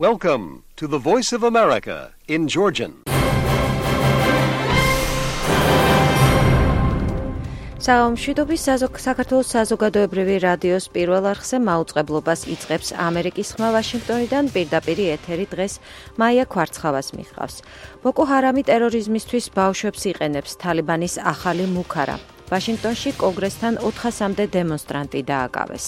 Welcome to the Voice of America in Georgian. საომშვიდობის საქართველოს საზოგადოებრივი რადიოს პირველ არხზე მაუწყებლობას იწყებს ამერიკის ხმა ვაშინგტონიდან პირდაპირ ეთერი დღეს მაია ქვარცხავას მიჰყავს. ბოკო ჰარამი ტერორიზმისთვის ბავშვებს იყენებს თალიბანის ახალი მუქარა. ვაშინგტონში კონგრესთან 400-მდე დემონსტრანტი დააკავეს.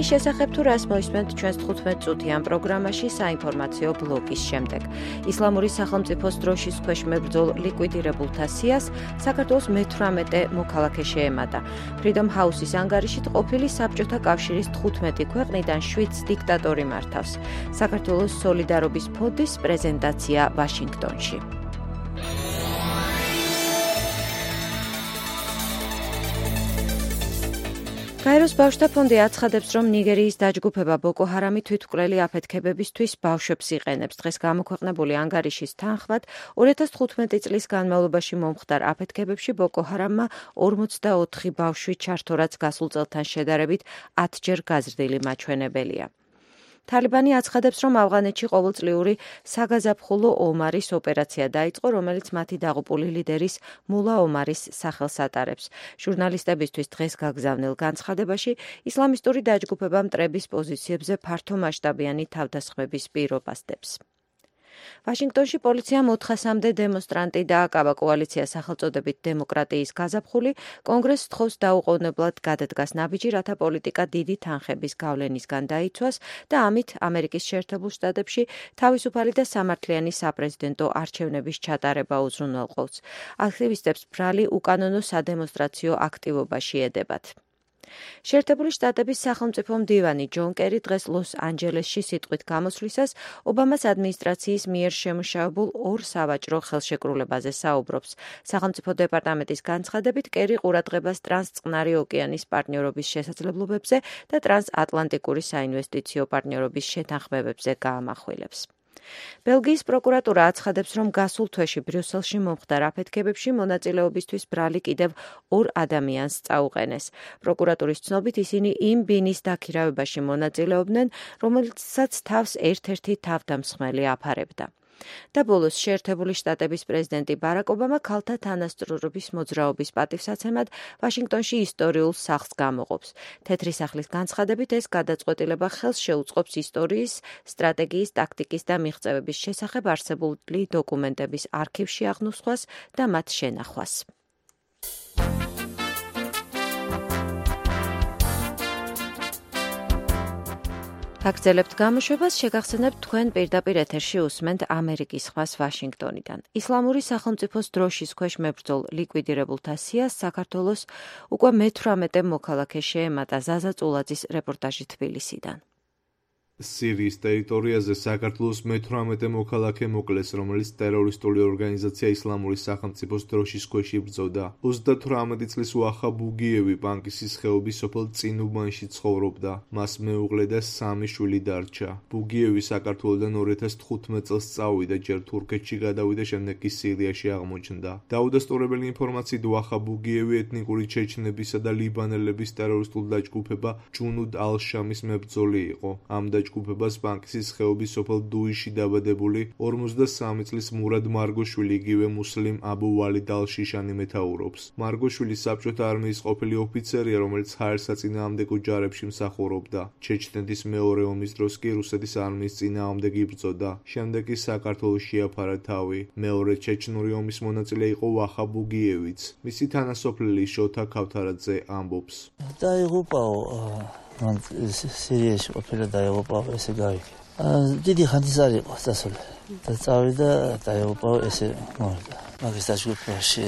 იმის შესახებ თუ რას მოისმენთ ჩვენს 15 წუთიან პროგრამაში საინფორმაციო ბლოკის შემდეგ. ისლამური სახელმწიფოს დროშის ქვეშ მებრძოლ ლიკვიდირებულთა სიას საქართველოს მე-18 მოქალაქე შეემატა. Freedom House-ის ანგარიშით ყოფილი საბჭოთა კავშირის 15 ქვეყნიდან 7 დიქტატორი მართავს. საქართველოს სოლიდარობის ფონდის პრეზენტაცია ვაშინგტონში. გაეროს ბავშვთა ფონდი აცხადებს, რომ ნიგერიის დაჯგუფება ბოკო ჰარამი თვითმკვლელი აფეთქებებისთვის ბავშვებს იყენებს. დღეს გამოქვეყნებული ანგარიშის თანხმად 2015 წლის განმავლობაში მომხდარ აფეთქებებში ბოკო ჰარამმა 44 ბავშვი ჩართო, რაც გასულ წელთან შედარებით 10-ჯერ გაზრდილი მაჩვენებელია. თალიბანი აცხადებს, რომ ავღანეთში ყოველწლიური საგაზაფხულო ომარის ოპერაცია დაიწყო, რომელიც მათი დაღუპული ლიდერის მულა ომარის სახელს ატარებს. ჟურნალისტებისთვის დღეს გაგზავნილ განცხადებაში ისლამისტური დაჯგუფება მტრების პოზიციებზე ფართომასშტაბიანი თავდასხმების პირობას დებს. ვაშინგტონში პოლიციამ 400-მდე დემონსტრანტი დააკავა. კოალიცია სახელწოდებით დემოკრატიის გაზაფხული კონგრესს თხოვს დაუყოვნებლად გადადგას ნაბიჯი, რათა პოლიტიკა დიდი თანხების გავლენისგან დაიცვას და ამით ამერიკის შეერთებულ შტატებში თავისუფალი და სამართლიანი საპრეზიდენტო არჩევნების ჩატარება უზრუნველყოფს. აქტივისტებს ბრალი უკანონო სადემონსტრაციო აქტივობაში ედებათ. შეერთებული შტატების სახელმწიფო მდივანი ჯონ კერი დღეს ლოს-ანჯელესში სიტყვით გამოსვლისას ობამას ადმინისტრაციის მიერ შემუშავებულ ორ სავაჭრო ხელშეკრულებაზე საუბრობს. სახელმწიფო დეპარტამენტის განცხადებით კერი ყურადღებას ტრანსწყნარი ოკეანის პარტნიორობის შესაძლებლობებზე და ტრანსატლანტიკური საინვესტიციო პარტნიორობის შეთანხმებებზე გაამახვილებს. ბელგიის პროკურატურა აცხადებს, რომ გასულ თვეში ბრიუსელში მომხდარ აფეთქებებში მონაწილეობისთვის ბრალი კიდევ 2 ადამიანს წაუყენეს. პროკურატურის ცნობით ისინი იმ ბინის დაქირავებაში მონაწილეობდნენ, რომელსაც თავს ერთ-ერთი თავდამსხმელი აფარებდა. და ბოლოს შეერთებული შტატების პრეზიდენტი ბარაკ ობამა ქალთა თანასწორობის მოძრაობის პატივსაცემად ვაშინგტონში ისტორიულ სახლს გამოყოფს. თეთრი სახლის განცხადებით ეს გადაწყვეტილება ხელს შეუწყობს ისტორიის, სტრატეგიის, ტაქტიკის და მიღწევების შესახებ არსებული დოკუმენტების არქივში აღნუსხვას და მათ შენახვას. გაგრძელებთ გამოშვებას, შეგახსენებთ თქვენ პირდაპირ ეთერში უსმენთ ამერიკის ხმას ვაშინგტონიდან. ისლამური სახელმწიფოს დროშის ქვეშ მებრძოლ ლიკვიდირებულთა სიას საქართველოს უკვე მე-18 მოქალაქე შეემატა. ზაზა წულაძის რეპორტაჟი თბილისიდან. სირიის ტერიტორიაზე საქართველოს მე-18 მოქალაქე მოკლეს, რომელიც ტერორისტული ორგანიზაცია ისლამური სახელმწიფოს დროშის ქვეშ იბრძოდა. 38 წლის ვახა ბუგიევი ბანკისის ხეობის სოფელ წინუბანში ცხოვრობდა. მას მეუღლე და 3 შვილი დარჩა. ბუგიევი საქართველოდან 2015 წელს წავიდა, ჯერ თურქეთში გადავიდა, შემდეგ კი სირიაში აღმოჩნდა. დაუდასტურებელი ინფორმაციით ვახა ბუგიევი ეთნიკური ჩეჩნებისა და ლიბანელების ტერორისტულ დაჯგუფება ჯუნუდ ალ-შამის მებრძოლი იყო. ამ ჯგუფებას ბანკისის ხეობის სოფელ დუიში დაბადებული 53 წლის მურად მარგოშვილი იგივე მუსლიმ აბუ ვალიდ ალ-შიშანი მეთაურობს. მარგოშვილი საბჭოთა არმიის ყოფილი ოფიცერია, რომელიც ჰაერსაწინააღმდეგო ჯარებში მსახურობდა. ჩეჩნეთის მეორე ომის დროს კი რუსეთის არმიის წინააღმდეგ იბრძოდა. შემდეგ კი საქართველოს შეაფარა თავი. მეორე ჩეჩნური ომის მონაწილე იყო ვახა ბუგიევიც. მისი თანასოფლელი შოთა ქავთარაძე ამბობს. დაიღუპაო მან სირიაში ყოფილა დაიღუპაო ესე გავიქე. დიდი ხანდის არ იყო დასავლე. და წავიდა დაიღუპაო ესე მოვიდა. მაგის დაჯგუფებაში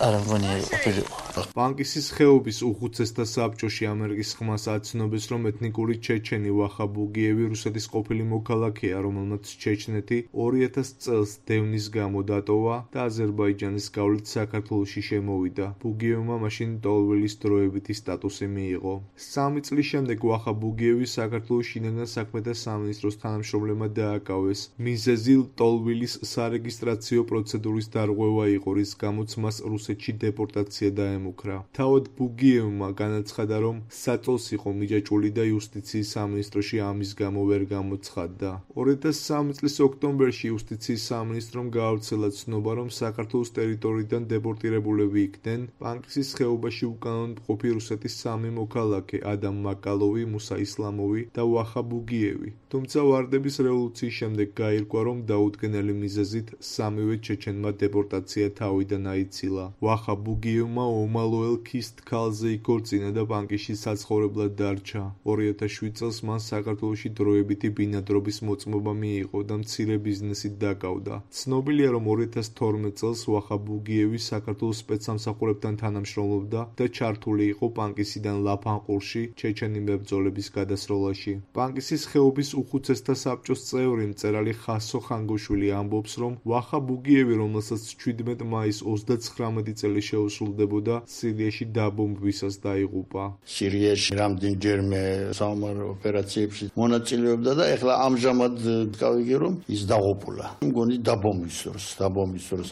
არ მგონია ყოფილიყო. ბანკისის ხეობის უხუცესთა საბჭოში ამერიკის ხმას აცნობს, რომ ეთნიკური ჩეჩენი ვახა ბუგიევი რუსეთის ყოფილი მოქალაქეა, რომელმაც ჩეჩნეთი 2000 წელს დევნის გამო დატოვა და აზერბაიჯანის გავლით საქართველოში შემოვიდა. ბუგიევმა მაშინ ტოლვილის დროებითი სტატუსი მიიღო. 3 წლის შემდეგ ვახა ბუგიევი საქართველოს შინაგან საქმეთა სამინისტროს თანამშრომლებმა დააკავეს. მიზეზი სეზილ ტოლვილის სარეგისტრაციო პროცედურის დარღვევა იყო, რის გამოც მას რუსეთში დეპორტაცია დაემუქრა. თავად ბუგიევმა განაცხადა, რომ საწოლს იყო მიჯაჭვული და იუსტიციის სამინისტროში ამის გამო ვერ გამოცხადდა. 2003 წლის ოქტომბერში იუსტიციის სამინისტრომ გაავრცელა ცნობა, რომ საქართველოს ტერიტორიიდან დეპორტირებულები იქნენ პანკისის ხეობაში უკანონოდ მყოფი რუსეთის 3 მოქალაქე ადამ მაკალოვი, მუსა ისლამოვი და ვახა ბუგიევი. თუმცა ვარდების რევოლუციის შემდეგ გაირკვა, რომ დაუდგენელი მიზეზით 3-ვე ჩეჩენმა დეპორტაცია თავიდან აიცილა. ვახა ბუგიევმა ომალოელ ქის თქალზე იქორწინა და პანკისში საცხოვრებლად დარჩა. 2007 წელს მან საქართველოში დროებითი ბინადრობის მოწმობა მიიღო და მცირე ბიზნესით დაკავდა. ცნობილია, რომ 2012 წელს ვახა ბუგიევი საქართველოს სპეცსამსახურებთან თანამშრომლობდა და ჩართული იყო პანკისიდან ლაფანყურში ჩეჩენი მებრძოლების გადასროლაში. პანკისის ხეობის უხუცესთა საბჭოს წევრი მწერალი ხასო ხანგოშვილი ამბობს, რომ ვახა ბუგიევი, რომელსაც 17 მაისს 39 წელი შეუსრულდებოდა, სირიაში დაბომბვისას დაიღუპა. სირიაში რამდენჯერმე საომარ ოპერაციებში მონაწილეობდა და ეხლა ამჟამად გავიგე, რომ ის დაღუპულა. მგონი დაბომბვის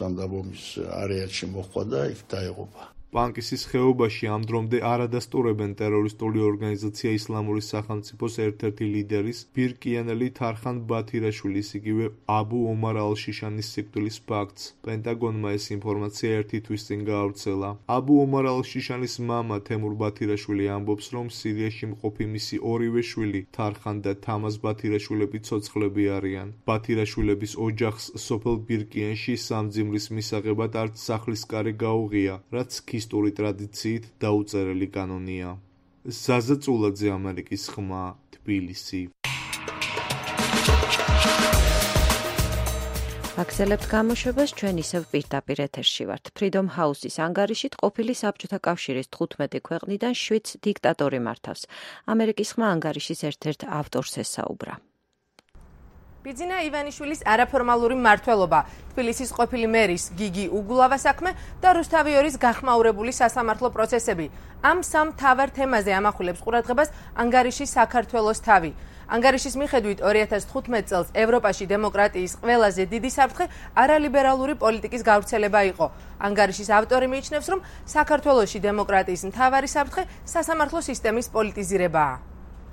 ამ დაბომბვის არეალში მოხდა და იქ დაიღუპა. პანკისის ხეობაში ამ დრომდე არ ადასტურებენ ტერორისტული ორგანიზაცია ისლამური სახელმწიფოს ერთ-ერთი ლიდერის ბირკიანელი თარხან ბათირაშვილის, იგივე აბუ ომარ ალ-შიშანის სიკვდილის ფაქტს. პენტაგონმა ეს ინფორმაცია ერთი თვის წინ გაავრცელა. აბუ ომარ ალ-შიშანის მამა თემურ ბათირაშვილი ამბობს, რომ სირიაში მყოფი მისი ორივე შვილი თარხან და თამაზ ბათირაშვილები ცოცხლები არიან. ბათირაშვილების ოჯახს სოფელ ბირკიანში სამძიმრის მისაღებად არც სახლის კარი გაუღია, რაც ისტორიული ტრადიციით დაუწერელი კანონია. ზაზა წულაძე, ამერიკის ხმა, თბილისი. აგზელებთ გამოშვებას, ჩვენ ისევ პირდაპირ ეთერში ვართ. Freedom House-ის ანგარიშით ყოფილი საბჭოთა კავშირის 15 ქვეყნიდან 7 დიქტატორი მართავს. ამერიკის ხმა ანგარიშის ერთ-ერთ ავტორს ესაუბრა. ბიძინა ივანიშვილის არაფორმალური მმართველობა, თბილისის ყოფილი მერის გიგი უგულავა საქმე და რუსთავიორის გახმაურებული სასამართლო პროცესები. ამ სამ მთავარ თემაზე ამახვილებს ყურადღებას ანგარიშის საქართველოს თავი. ანგარიშის მიხედვით 2015 წელს ევროპაში დემოკრატიის ყველაზე დიდი საფრთხე არალიბერალური პოლიტიკის გავრცელება იყო. ანგარიშის ავტორი მიიჩნევს, რომ საქართველოში დემოკრატიის მთავარი საფრთხე სასამართლო სისტემის პოლიტიზირებაა.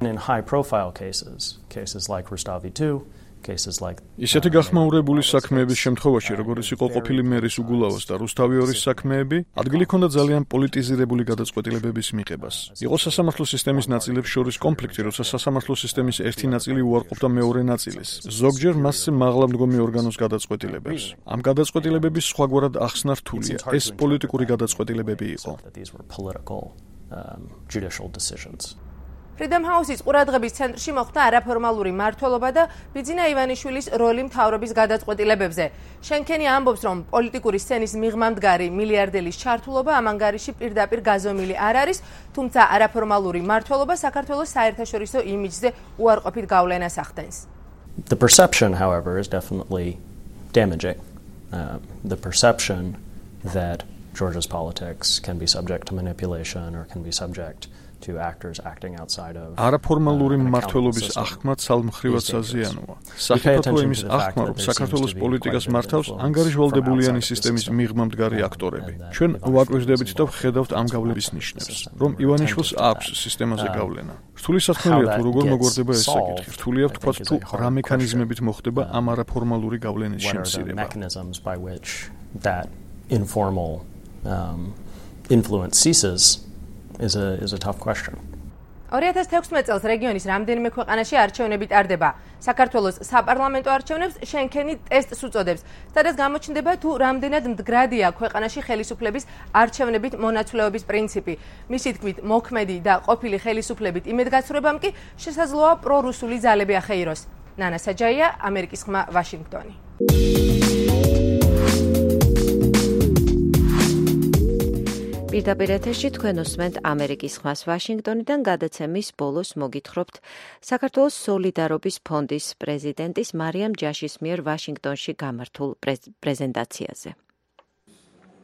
In high-profile cases like Rustavi 2, ისეთი გახმაურებული საქმეების შემთხვევაში, როგორც იყო ყოფილი მერის უგულავას და რუსთავიორის საქმეები, ადგილი ჰქონდა ძალიან პოლიტიზირებული გადაწყვეტილებების მიღებას. იყო სასამართლო სისტემის ნაწილებს შორის კონფლიქტი, როცა სასამართლო სისტემის ერთი ნაწილი უარყოფდა მეორე ნაწილის. ზოგჯერ მასზე მაღლა მდგომი ორგანოს გადაწყვეტილებებს. ამ გადაწყვეტილებების სხვაგვარად ახსნა რთულია. ეს პოლიტიკური გადაწყვეტილებები იყო. Freedom House-ის ყურადღების ცენტრში მოხვდა არაფორმალური მმართველობა და ბიძინა ივანიშვილის როლი მთავრობის გადაწყვეტილებებზე. შენქენი ამბობს, რომ პოლიტიკური სცენის მიღმამდგარი მილიარდელის ჩართულობა ამ ანგარიში პირდაპირ გაზომილი არ არის, თუმცა არაფორმალური მმართველობა საქართველოს საერთაშორისო იმიჯზე უარყოფით გავლენას ახდენს. The perception, however, is definitely damaging. The perception that Georgia's politics can be subject to manipulation or can be subject to actors acting outside of არაფორმალური მმართველობის აღქმა ცალმხრივად საზიანოა. საფრთხე იმის აღქმა, რომ საქართველოს პოლიტიკას მართავს ანგარიშვალდებულიანი სისტემის მიღმამდგარი აქტორები. ჩვენ ვაკვირდებით და ვხედავთ ამ გავლების ნიშნებს, რომ ივანიშვილს აქვს სისტემაზე გავლენა. რთული საქმეა თუ როგორ მოგვარდება ეს საკითხი. რთულია ვთქვათ თუ რა მექანიზმებით მოხდება ამ არაფორმალური გავლენის შემცირება. Influence ceases is a tough question. 2016 წელს რეგიონის რამდენიმე ქვეყანაში არჩევნები ტარდება. საქართველოს საპარლამენტო არჩევნებს შენქენი ტესტს უწოდებს, სადაც გამოჩნდება თუ რამდენად მდგრადია ქვეყანაში ხელისუფლების არჩევნებით მონაცვლეობის პრინციპი. მისი თქმით, მოქმედი და ყოფილი ხელისუფლებით იმედგაცრუებამ კი შესაძლოა პრორუსული ძალები ახეიროს. ნანა საჯაია, ამერიკის ხმა, ვაშინგტონი. პირდაპირ ეთერში თქვენ უსმენთ ამერიკის ხმას ვაშინგტონიდან. გადაცემის ბოლოს მოგითხრობთ საქართველოს სოლიდარობის ფონდის პრეზიდენტის მარიამ ჯაშის მიერ ვაშინგტონში გამართულ პრეზენტაციაზე.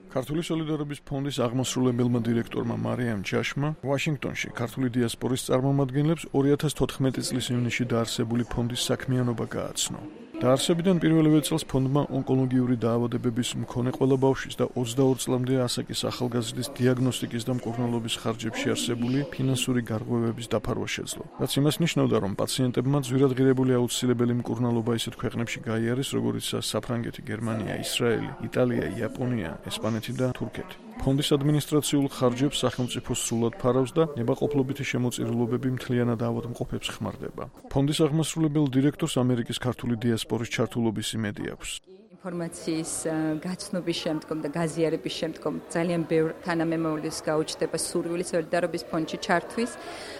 ქართული სოლიდარობის ფონდის აღმასრულებელმა დირექტორმა მარიამ ჯაშმა ვაშინგტონში ქართული დიასპორის წარმომადგენლებს 2014 წლის ივნისში დაარსებული ფონდის საქმიანობა გააცნო. დაარსებიდან პირველივე წელს ფონდმა ონკოლოგიური დაავადებების მქონე ყველა ბავშვის და 22 წლამდე ასაკის ახალგაზრდის დიაგნოსტიკის და მკურნალობის ხარჯებში არსებული ფინანსური გარღვევების დაფარვა შეძლო. რაც იმას ნიშნავდა, რომ პაციენტებმა ძვირადღირებული აუცილებელი მკურნალობა ისეთ ქვეყნებში გაიარეს, როგორიცაა საფრანგეთი, გერმანია, ისრაელი, იტალია, იაპონია, ესპანეთი და თურქეთი. ფონდის ადმინისტრაციულ ხარჯებს სახელმწიფო სრულად ფარავს და ნებაყოფლობითი შემოწირულობები მთლიანად ავადმყოფებს ხმარდება. ფონდის აღმასრულებელ დირექტორს ამერიკის ქართული დიასპორის ჩართულობის იმედი აქვს. ინფორმაციის გაცნობის შემდგომ და გაზიარების შემდგომ ძალიან ბევრ თანამემამულეს გაუჩნდება სურვილი სოლიდარობის ფონდში ჩართვის,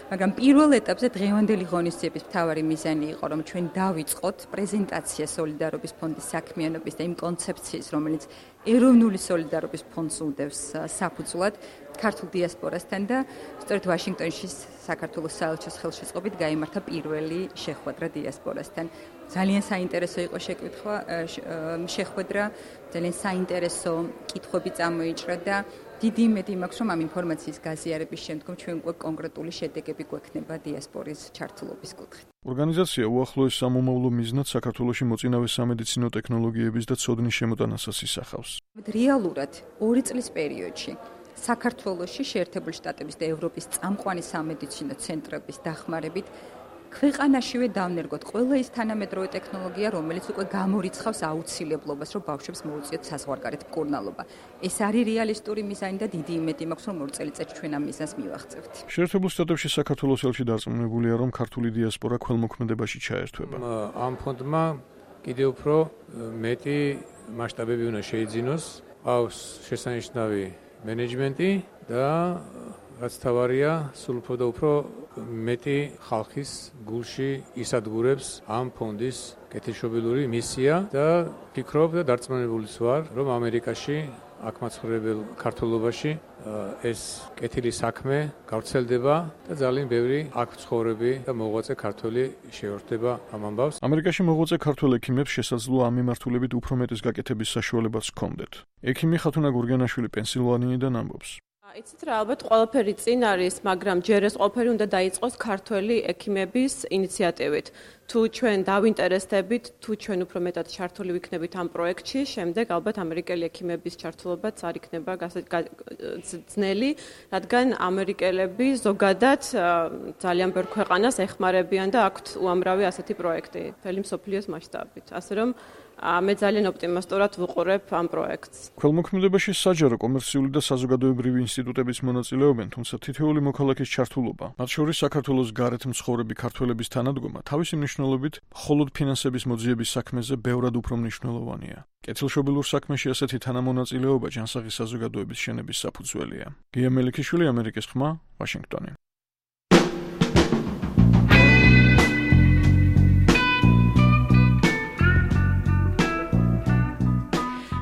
მაგრამ პირველ ეტაპზე დღევანდელი ღონისძიების მთავარი მიზანი იყო, რომ ჩვენ დავიწყოთ პრეზენტაცია სოლიდარობის ფონდის საქმიანობის და იმ კონცეფციის, რომელიც ეროვნული სოლიდარობის ფონდს უდევს საფუძვლად ქართულ დიასპორასთან და სწორედ ვაშინგტონში საქართველოს საელჩოს ხელშეწყობით გაიმართა პირველი შეხვედრა დიასპორასთან. ძალიან საინტერესო იყო შეხვედრა, ძალიან საინტერესო კითხვები წამოიჭრა და დიდი იმედი მაქვს, რომ ამ ინფორმაციის გაზიარების შემდგომ ჩვენ უკვე კონკრეტული შედეგები გვექნება დიასპორის ჩართულობის კუთხით. ორგანიზაცია უახლოეს სამომავლო მიზნად საქართველოში მოწინავე სამედიცინო ტექნოლოგიების და ცოდნის შემოტანასაც ისახავს. რეალურად 2 წლის პერიოდში საქართველოში შეერთებული შტატების და ევროპის წამყვანი სამედიცინო ცენტრების დახმარებით ქვეყანაშივე დავნერგოთ ყველა ის თანამედროვე ტექნოლოგია, რომელიც უკვე გამორიცხავს აუცილებლობას, რომ ბავშვებს მოუწიოთ საზღვარგარეთ მკურნალობა. ეს არის რეალისტური მიზანი და დიდი იმედი მაქვს, რომ 2 წელიწადში ჩვენ ამ მიზანს მივაღწევთ. შეერთებულ შტატებში საქართველოს ელჩი დარწმუნებულია, რომ ქართული დიასპორა ქველმოქმედებაში ჩაერთვება. ამ ფონდმა კიდევ უფრო მეტი მასშტაბები უნდა შეიძინოს, ყავს შესანიშნავი მენეჯმენტი და რაც თავარია, სულ უფრო და უფრო მეტი ხალხის გულში ისადგურებს ამ ფონდის კეთილშობილური მისია და ფიქრობ და დარწმუნებულიც ვარ, რომ ამერიკაში აქ მაცხოვრებელ ქართველობაში ეს კეთილი საქმე გავრცელდება და ძალიან ბევრი აქ ცხოვრები და მოღვაწე ქართველი შეერთდება ამ ამბავს. ამერიკაში მოღვაწე ქართველ ექიმებს შესაძლოა ამ მიმართულებით უფრო მეტის გაკეთების საშუალებაც ჰქონდეთ. ექიმი ხათუნა გურგენაშვილი პენსილვანიიდან ამბობს. იცით რა, ალბათ ყველაფერი წინ არის, მაგრამ ჯერ ეს ყველაფერი უნდა დაიწყოს ქართველი ექიმების ინიციატივით. თუ ჩვენ დავინტერესდებით, თუ ჩვენ უფრო მეტად ჩართული ვიქნებით ამ პროექტში, შემდეგ ალბათ ამერიკელი ექიმების ჩართულობაც არ იქნება ძნელი, რადგან ამერიკელები ზოგადად ძალიან ბევრ ქვეყანას ეხმარებიან და აქვთ უამრავი ასეთი პროექტი მთელი მსოფლიოს მასშტაბით. ასე რომ მე ძალიან ოპტიმისტურად ვუყურებ ამ პროექტს. ქველმოქმედებაში საჯარო, კომერციული და საზოგადოებრივი ინსტიტუტების მონაწილეობენ, თუმცა თითოეული მოქალაქის ჩართულობა, მათ შორის საქართველოს გარეთ მცხოვრები ქართველების თანადგომა, თავისი მნიშვნელობით მხოლოდ ფინანსების მოძიების საქმეზე ბევრად უფრო მნიშვნელოვანია. კეთილშობილურ საქმეში ასეთი თანამონაწილეობა ჯანსაღი საზოგადოების შენების საფუძველია. გია მელიქიშვილი, ამერიკის ხმა, ვაშინგტონი.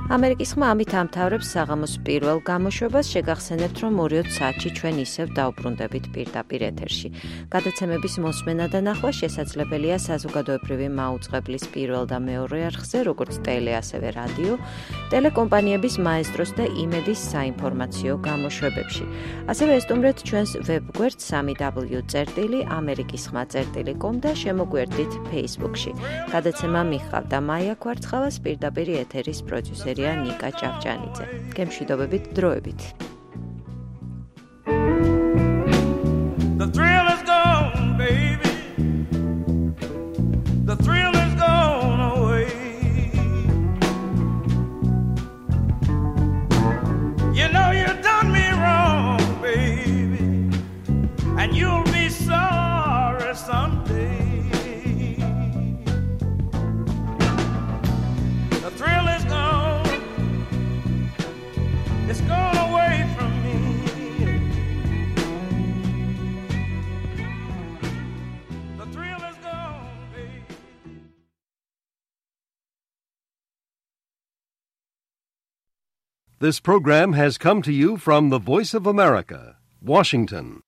ამერიკის ხმა ამით ამთავრებს საღამოს პირველ გამოშვებას. შეგახსენებთ, რომ 2 საათში ჩვენ ისევ დავბრუნდებით პირდაპირ ეთერში. გადაცემების მოსმენა და ნახვა შესაძლებელია საზოგადოებრივი მაუწყებლის პირველ და მეორე არხზე, როგორც ტელე, ასევე რადიო, ტელეკომპანიების მაესტროს და იმედის საინფორმაციო გამოშვებებში. ასევე ესტუმრეთ ჩვენს ვებგვერდს www.amerikisxma.com და შემოგვერდით Facebook-ში. გადაცემა მიხავდა მაია კვარცხალას, პირდაპირ ეთერის პროდიუსერი ნიკა ჭავჭანიძე. გემშვიდობებით, დროებით. The thrill is gone, baby. The thrill is gone away. You know you done me wrong, baby, and you'll be sorry someday. The thrill is gone. It's gone away from me. The thrill is gone, baby. This program has come to you from the Voice of America, Washington.